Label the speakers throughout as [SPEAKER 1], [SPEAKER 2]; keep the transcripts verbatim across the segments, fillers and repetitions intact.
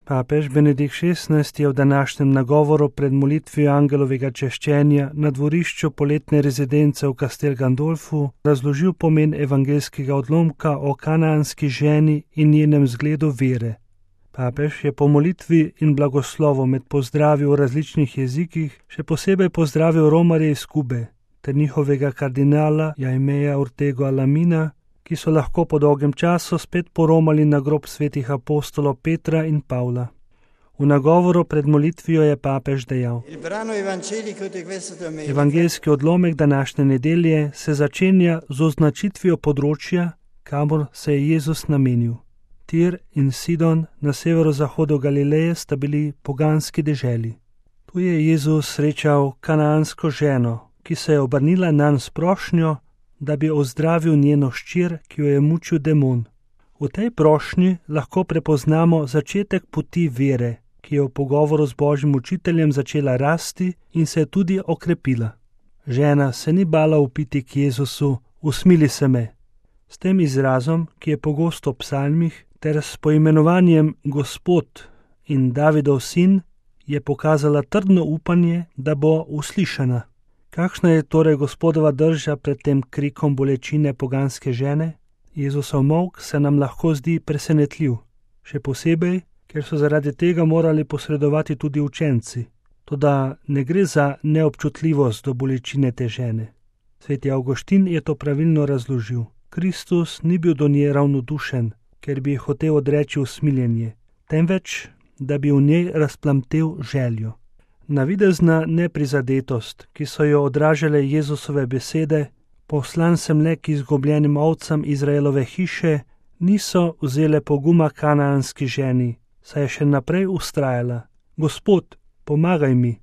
[SPEAKER 1] Papež Benedikt šestnajsti je v današnjem nagovoru pred molitvijo angelovega češčenja na dvorišču poletne rezidence v Castel Gandolfu razložil pomen evangeljskega odlomka o kanaanski ženi in njenem zgledu vere. Papež je po molitvi in blagoslovu med pozdravi v različnih jezikih še posebej pozdravil romarje iz Kube ter njihovega kardinala Jaimeja Ortego Alamina, ki so lahko po dolgem času spet poromali na grob svetih apostolov Petra in Pavla. V nagovoru pred molitvijo je papež dejal: Evangeljski odlomek današnje nedelje se začenja z označitvijo področja, kamor se je Jezus namenil. Tir in Sidon na severozahodu Galileje sta bili poganski deželi. Tu je Jezus srečal kanaansko ženo, ki se je obrnila nanj s prošnjo, da bi ozdravil njeno hčer, ki jo je mučil demon. V tej prošnji lahko prepoznamo začetek poti vere, ki je v pogovoru z Božjim učiteljem začela rasti in se je tudi okrepila. Žena se ni bala vpiti k Jezusu: usmili se me. S tem izrazom, ki je pogosto v psalmih, ter s poimenovanjem Gospod in Davidov sin, je pokazala trdno upanje, da bo uslišana. Kakšna je torej Gospodova drža pred tem krikom bolečine poganske žene? Jezusov molk se nam lahko zdi presenetljiv, še posebej, ker so zaradi tega morali posredovati tudi učenci. Toda ne gre za neobčutljivost do bolečine te žene. Sveti Avguštin je to pravilno razložil. Kristus ni bil do nje ravnodušen, ker bi hotel odreči usmiljenje, temveč, da bi v njej razplamtel željo. Navidezna neprizadetost, ki so jo odražale Jezusove besede, poslan sem le k izgubljenim ovcam Izraelove hiše, niso vzele poguma kanaanski ženi, saj je še naprej vztrajala: Gospod, pomagaj mi.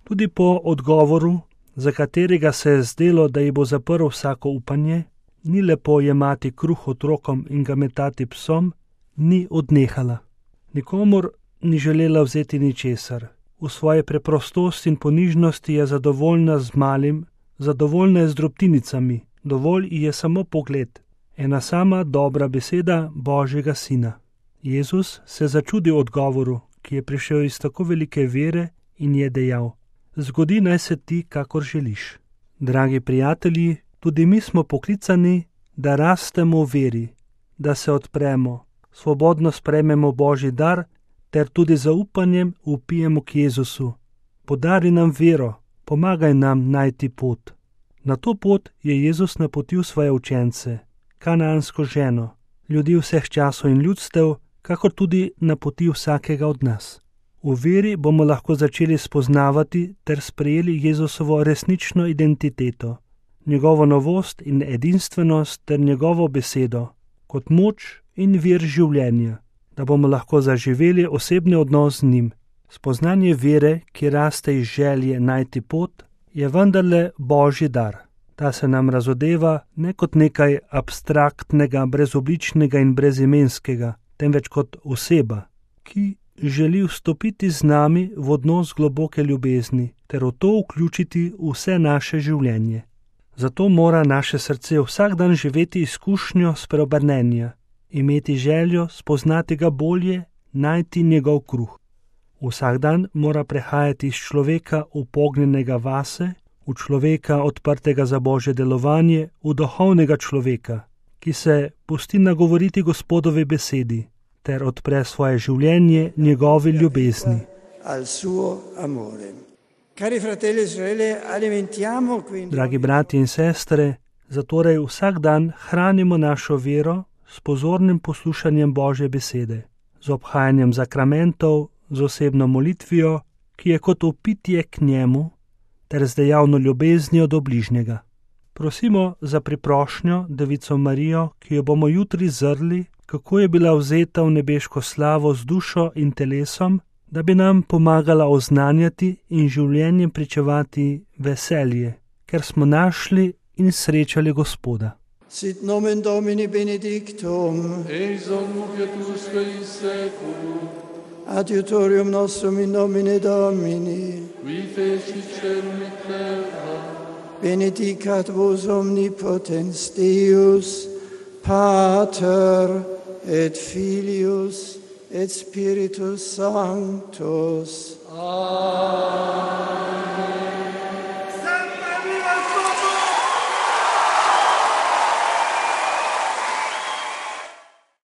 [SPEAKER 1] Tudi po odgovoru, za katerega se je zdelo, da ji bo zaprl vsako upanje, ni lepo jemati kruh otrokom in ga metati psom, ni odnehala. Nikomur ni želela vzeti ničesar. V svoji preprostosti in ponižnosti je zadovoljna z malim, zadovoljna je z drobtinicami, dovolj ji je samo pogled, ena sama dobra beseda Božjega sina. Jezus se začudi odgovoru, ki je prišel iz tako velike vere, in je dejal: zgodi naj se ti, kakor želiš. Dragi prijatelji, tudi mi smo poklicani, da rastemo v veri, da se odpremo, svobodno sprejmemo Božji dar, ter tudi zaupanjem vpijemo k Jezusu: podari nam vero, pomagaj nam najti pot. Na to pot je Jezus napotil svoje učence, kanaansko ženo, ljudi vseh časov in ljudstev, kakor tudi napoti vsakega od nas. V veri bomo lahko začeli spoznavati ter sprejeli Jezusovo resnično identiteto, njegovo novost in edinstvenost ter njegovo besedo, kot moč in vir življenja, da bomo lahko zaživeli osebni odnos z njim. Spoznanje vere, ki raste iz želje najti pot, je vendarle Božji dar. Ta se nam razodeva ne kot nekaj abstraktnega, brezobličnega in brezimenskega, temveč kot oseba, ki želi vstopiti z nami v odnos globoke ljubezni ter v to vključiti vse naše življenje. Zato mora naše srce vsak dan živeti izkušnjo spreobrnenja, imeti željo spoznati ga bolje, najti njegov kruh. Vsak dan mora prehajati iz človeka upognjenega vase, v človeka odprtega za Božje delovanje, v duhovnega človeka, ki se pusti nagovoriti Gospodovi besedi ter odpre svoje življenje njegovi ljubezni. Dragi bratje in sestre, zatorej vsak dan hranimo našo vero s pozornim poslušanjem Božje besede, z obhajanjem zakramentov, z osebno molitvijo, ki je kot vpitje k njemu, ter z dejavno ljubeznijo do bližnjega. Prosimo za priprošnjo Devico Marijo, ki jo bomo jutri zrli, kako je bila vzeta v nebeško slavo z dušo in telesom, da bi nam pomagala oznanjati in življenjem pričevati veselje, ker smo našli in srečali Gospoda.
[SPEAKER 2] Sit nomen Domini benedictum,
[SPEAKER 3] ex hoc nunc et usque in seculum,
[SPEAKER 2] adiutorium nostrum in nomine Domini,
[SPEAKER 3] qui fecit caelum et terra,
[SPEAKER 2] benedicat vos omnipotens Deus, Pater et Filius et Spiritus Sanctus.
[SPEAKER 3] Amen.